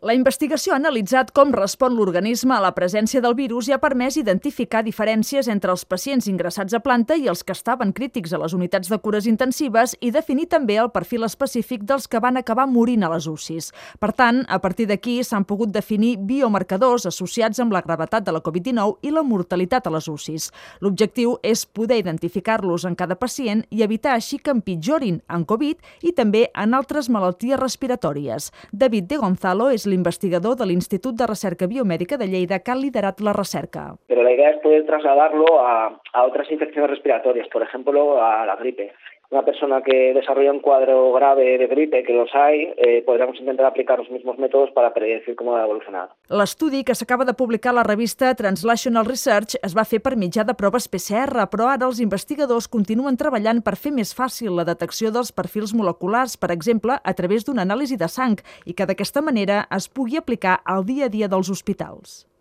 La investigació ha analitzat com respon l'organisme a la presència del virus i ha permès identificar diferències entre els pacients ingressats a planta i els que estaven crítics a les unitats de cures intensives i definir també el perfil específic dels que van acabar morint a les UCIs. Per tant, a partir d'aquí s'han pogut definir biomarcadors associats amb la gravetat de la Covid-19 i la mortalitat a les UCIs. L'objectiu és poder identificar-los en cada pacient i evitar així que empitjorin en Covid i també en altres malalties respiratòries. David de Gonzalo és l'investigador de l'Institut de Recerca Biomèdica de Lleida que ha liderat la recerca. Pero la idea es poder trasladarlo a otras infecciones respiratorias, por ejemplo, a la gripe. Una persona que desarrolla un cuadro grave de gripe, que los hay, podríamos intentar aplicar los mismos métodos para predecir cómo va a evolucionar. L'estudi que s'acaba de publicar a la revista Translational Research es va fer per mitjà de proves PCR, però ara els investigadors continuen treballant per fer més fàcil la detecció dels perfils moleculars, per exemple, a través d'una anàlisi de sang, i que d'aquesta manera es pugui aplicar al dia a dia dels hospitals.